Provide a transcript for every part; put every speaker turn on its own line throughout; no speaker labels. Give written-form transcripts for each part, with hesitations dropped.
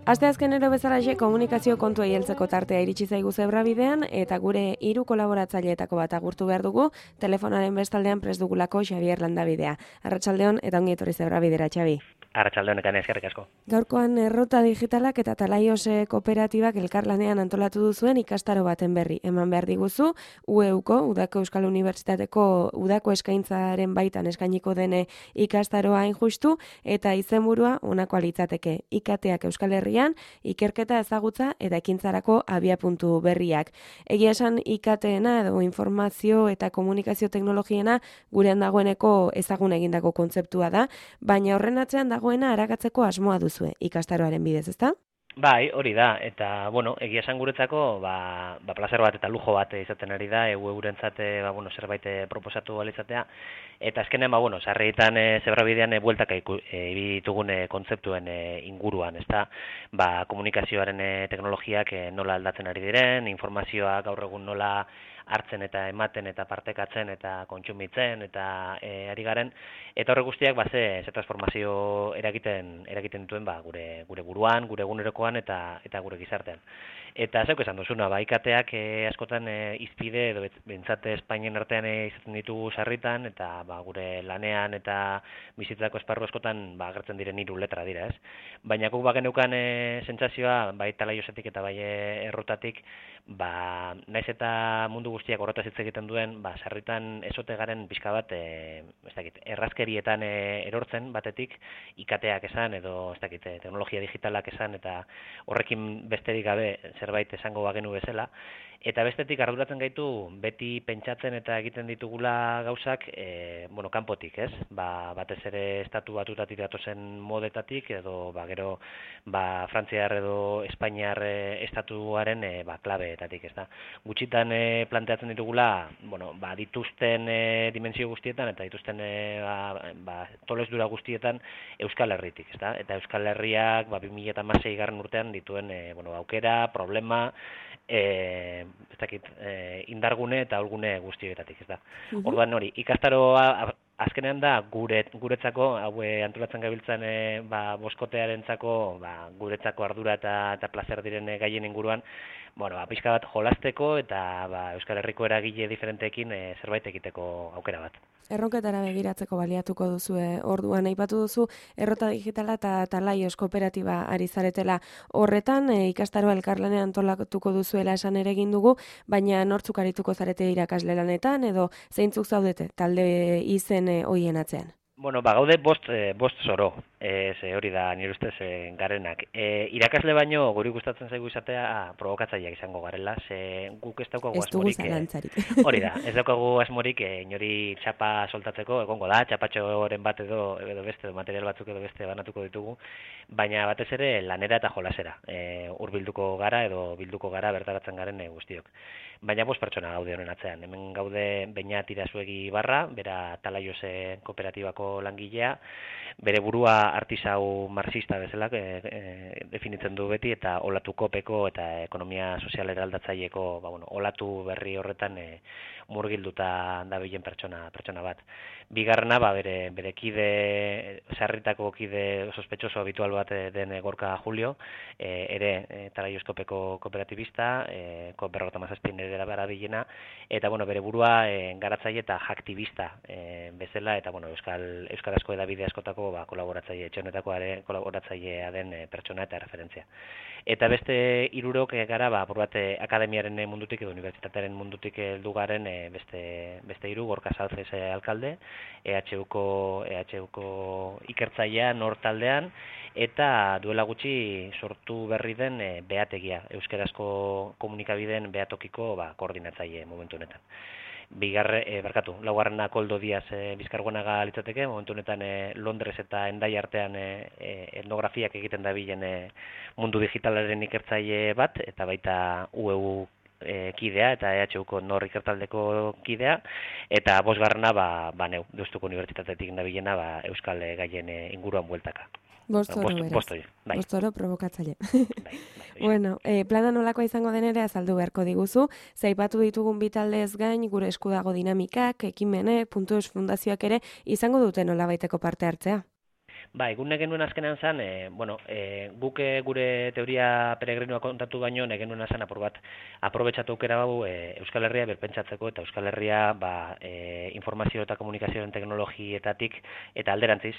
Asteazkenero bezalaxe komunikazio kontuei heltzeko tartea iritsi zaigu Zebrabidean eta gure 3 kolaboratzaileetako bat agurtu behar dugu, telefonaren bestaldean prest dugulako Xabier Landabidea. Arratsaldeon eta ongi etorri Zebrabidera, Xabi.
Arratsaldeon ekan eskerrik asko.
Gaurkoan errota digitalak eta Talaios kooperatibak elkarlanean antolatu duzuen ikastaro baten berri. Eman behar diguzu, UEUko, Udako Euskal Unibertsitateko Udako eskaintzaren baitan eskainiko dene ikastaroa hain justu, eta izenburua honako litzateke. IKTak Euskal Herrian, ikerketa ezagutza eta ekintzarako abiapuntu berriak. Egia esan IKTena edo informazio eta komunikazio teknologiena gurean dagoeneko ezagun egindako kontzeptua da, baina horren atzean dagoena arakatzeko asmoa duzue ikastaroaren bidez, ezta?
Bai, hori da, eta, egia esan guretzako, plazer bat eta lujo bat izaten ari da, eurentzat, zerbait proposatu alizatea, eta azkenean, sarritan Zebrabidean bueltaka ibitugun kontzeptuen inguruan, ezta? Komunikazioaren teknologiak nola aldatzen ari diren, informazioa gaur egun nola hartzen eta ematen eta partekatzen eta kontsumitzen eta ari garen, eta horre guztiak ze transformazio eragiten dituen gure buruan, gure egunerokoan eta gure gizartean. Eta zeuk esan duzuna, IKTak askotan izpide edo bentsate Espainien artean izaten ditugu sarritan, eta gure lanean eta bizitzako esparru askotan agertzen diren 3 letra dira, ez? Baina guk bageneukan sentsazioa, bai Talaiosetik eta bai errotatik, naiz eta mundu guztiak horretaz hitz egiten duen, sarritan ezote garen pixka bat, errazkerietan erortzen batetik, IKTak esan edo teknologia digitalak esan, eta horrekin besterik gabe zerbait esango bagenu bezala, eta bestetik arduratzen gaitu beti pentsatzen eta egiten ditugula gauzak, kanpotik, ez? Batez ere estatu batutatik datozen modetatik, edo gero Frantziar edo Espainiar estatuaren klabeetatik, ez da? Gutxitan planteatzen ditugula, dituzten dimensio guztietan eta dituzten tolesdura guztietan Euskal Herritik, ez da? Eta Euskal Herriak 2016 garren urtean dituen aukera, problema, indargune eta ahulgune guztietatik, ez da. Orduan hori, ikastaroa azkenean da guretzako, hau antolatzen gabiltzan boskotearentzako, guretzako ardura eta plazer diren gaien inguruan, pixka bat jolasteko eta Euskal Herriko eragile diferenteekin zerbait egiteko aukera bat.
Erronketara begiratzeko baliatuko duzue, orduan aipatu duzu Errota Digitala eta Talaios kooperatiba ari zaretela. Horretan ikastaroa elkarlanean antolatuko duzuela esan ere egin dugu, baina nortzuk arituko zarete irakasle lanetan edo zeintzuk zaudete talde izen hoien atzean?
Gaude bost zoro, hori da nire ustez garenak. Irakasle baino guri gustatzen zaigu izatea probokatzaileak izango garela, guk ez daukagu asmorik.
Ez dugu zalantzarik.
Hori da, ez daukagu asmorik inori txapa soltatzeko, egongo da, txapatxoren bat edo beste, edo material batzuk edo beste banatuko ditugu, baina batez ere lanera eta jolasera, bilduko gara bertaratzen garen guztiok. Baina 5 pertsona gaude honen atzean. Hemen gaude Beñat Irazuegi Barra, bera Talaios kooperatibako langilea, bere burua artisau marxista bezala definitzen du beti, eta Olatu Kopeko eta ekonomia sozial eraldatzaileko olatu berri horretan murgilduta dabilen pertsona bat. Bigarrena, bere kide, sarritako kide sospetxoso habitual bat den Gorka Julio, ere Talaios Kopeko kooperatibista, COP57 ere barabilena, eta bere burua garatzaile eta aktivista bezala, eta euskarazko edabide askotako kolaboratzaile, etxonetako kolaboratzailea den pertsona eta referentzia. Eta beste 3 gara, akademiaren mundutik edo unibertsitatearen mundutik heldu garen beste 3, Gorka Salces alkalde, EHUko ikertzailea nor taldean, eta duela gutxi sortu berri den behategia, euskarazko komunikabideen behatokiko koordinatzaile momentu honetan. Laugarrena Koldo Diaz Bizkargonaga litzateke, momentu honetan Londres eta Endai artean etnografiak egiten dabilen mundu digitalaren ikertzaile bat, eta baita UEU kidea eta EHUko nor ikertaldeko kidea, eta bosgarrena neu, Deustuko Unibertsitatetik nabilena euskal gaien inguruan bueltaka.
Bostoro beraz.
Bostoro, bai.
Bostoro provokatzaile.
Bai.
Bueno, plana nolakoa izango den ere azaldu beharko diguzu. Zaipatu ditugun bitaldez gain, gure esku dago dinamikak, ekimene, Puntus Fundazioak ere izango dute nolabaiteko parte hartzea.
Bai, egun genuen azkenean zen, guk gure teoria peregrinoa kontatu baino, genuen zen apur bat aprobetxatu aukera bau Euskal Herria berpentsatzeko eta Euskal Herria informazio eta komunikazioen teknologietatik eta alderantziz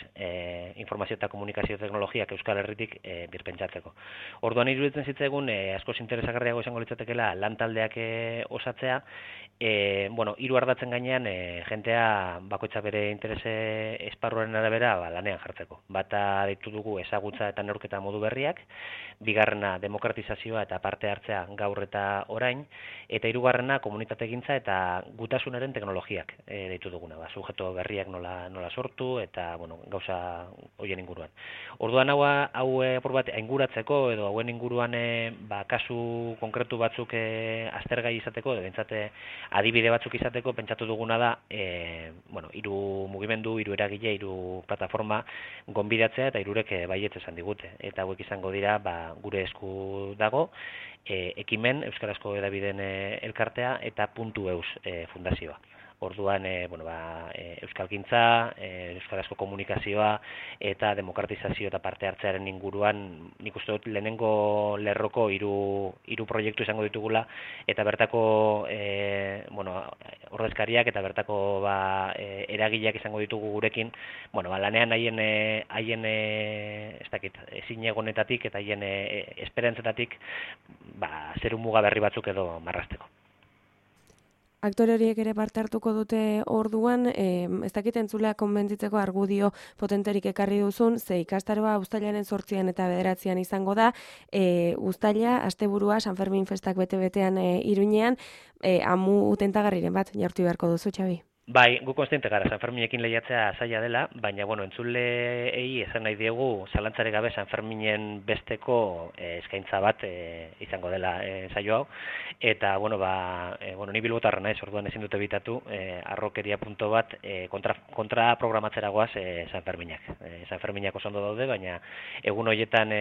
informazio eta komunikazio teknologiak Euskal Herritik berpentsatzeko. Orduan iruditzen zitzaigun askoz interesagarriago izango litzatekeela lantaldeak osatzea, hiru ardatzen gainean jentea bakoitza bere interese esparruaren arabera lanean jartzeko. Bata deitu dugu ezagutza eta neurketa modu berriak, bigarrena demokratizazioa eta parte hartzea gaur eta orain, eta hirugarrena komunitategintza eta gutasunaren teknologiak deitu duguna, sujeto berriak nola sortu eta gauza horien inguruan. Orduan hau apur bat ainguratzeko edo hauen inguruan kasu konkretu batzuk aztergai izateko, edo bentsate adibide batzuk izateko, pentsatu duguna da hiru mugimendu, hiru eragile, hiru plataforma gonbidatzea eta hirurek baietz esan digute. Eta hauek izango dira gure esku dago, ekimen Euskarazko hedabideen elkartea eta Puntu.eus fundazioa. Orduan, euskalgintza, euskarazko komunikazioa eta demokratizazio eta parte hartzearen inguruan, nik uste dut lehenengo lerroko hiru proiektu izango ditugula, eta bertako ordezkariak eta bertako eragileak izango ditugu gurekin, lanean haien ezinegonetatik eta haien esperantzetatik zeru muga berri batzuk edo marrazteko.
Aktore horiek ere parte hartuko dute orduan, ez dakit entzulea konbentzitzeko argudio potenterik ekarri duzun, ze ikastaroa uztailaren 8 eta 9 izango da, uztaila, asteburua, San Fermin festak bete-betean Iruñean, amu tentagarriren bat jartu beharko duzu, Xabi?
Bai, gu konstiente gara, San Ferminekin lehiatzea zaila dela, baina, entzuleei esan nahi diegu, zalantzare gabe San Ferminen besteko eskaintza bat izango dela saio hau, eta, ni bilbotarra naiz, orduan ezin dute bitatu, arrokeria punto bat kontra programatzera goaz San Ferminak. San Ferminak oso ondo daude, baina egun horietan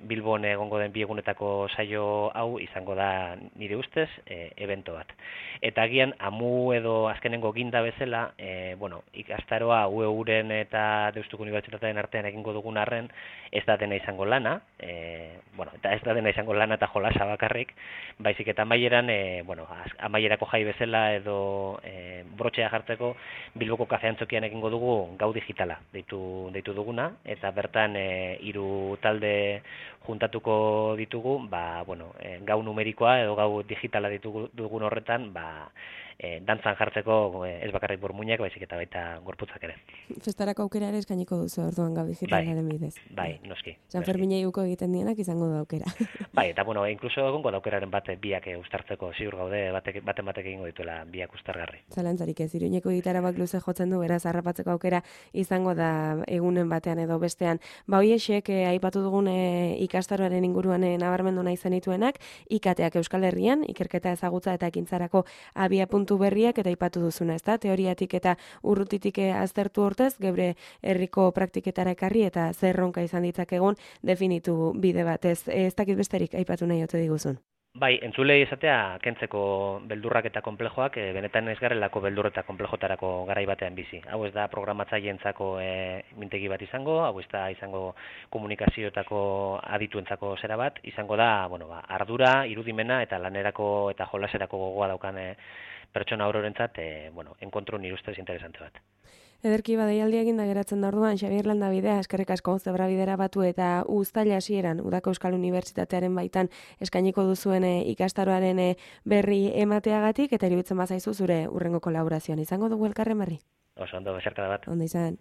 Bilbon egongo den bi egunetako saio hau izango da nire ustez evento bat. Eta agian, amu edo azkenengo ginda bezala, ikastaroa UEUren eta Deustuko Unibertsitatearen artean egingo dugun arren, ez da dena izango lana, eta ez da dena izango lana eta jolasa bakarrik, baizik eta amaieran, amaierako jai bezala edo brotxea jartzeko Bilboko kafe antzokian egingo dugu gau digitala deitu duguna, eta bertan hiru talde juntatuko ditugu, gau numerikoa edo gau digitala dugun horretan, dantzan jartzeko ez bakarrik burmuinak, baizik eta baita gorputzak ere.
Festarako aukera ere eskainiko duzu orduan gau digitalaren bidez.
Bai, noski.
San Ferminei uko egiten dienak izango du aukera.
Bai, eta inkluso egongo da aukeraren bat biak uztartzeko, ziur gaude baten batek egingo dituela biak uztargarri.
Zalantzarik ez, Iruñeko gitarabak luze jotzen du, beraz harrapatzeko aukera izango da egunen batean edo bestean. Hoiexek aipatu dugun ikastaroaren inguruan nabarmendu nahi zenituenak, ikateak Euskal Herrian, ikerketa ezagutza eta ekintzarako abiapuntu berriak eta aipatu duzuna, ezta? Teoriatik eta urrutitik aztertu hortez, geure herriko praktiketara ekarri eta zerronka izan ditzakegun definitu bide batez. Ez dakit besterik aipatu nahi ote diguzun.
Bai, entzulei esatea kentzeko beldurrak eta konplejoak, benetan ez garelako beldur eta konplejotarako garai batean bizi. Hau ez da programatzaileentzako mintegi bat izango, hau ez da izango komunikazioetako adituentzako zera bat, izango da, ardura, irudimena eta lanerako eta jolaserako gogoa daukan pertsona ororentzat, enkontru nire ustez interesante bat.
Ederki badaialdi eginda geratzen da orduan, Xabier Landabidea, eskerrik asko Zebrabidera batu eta uztaila hasieran Udako Euskal Unibertsitatearen baitan eskainiko duzuen ikastaroaren berri emateagatik, eta iruditzen bazaizu zure urrengo kolaborazioan izango dugu elkarren berri.
Oso ondo, besarkada bat.
Ondo izan.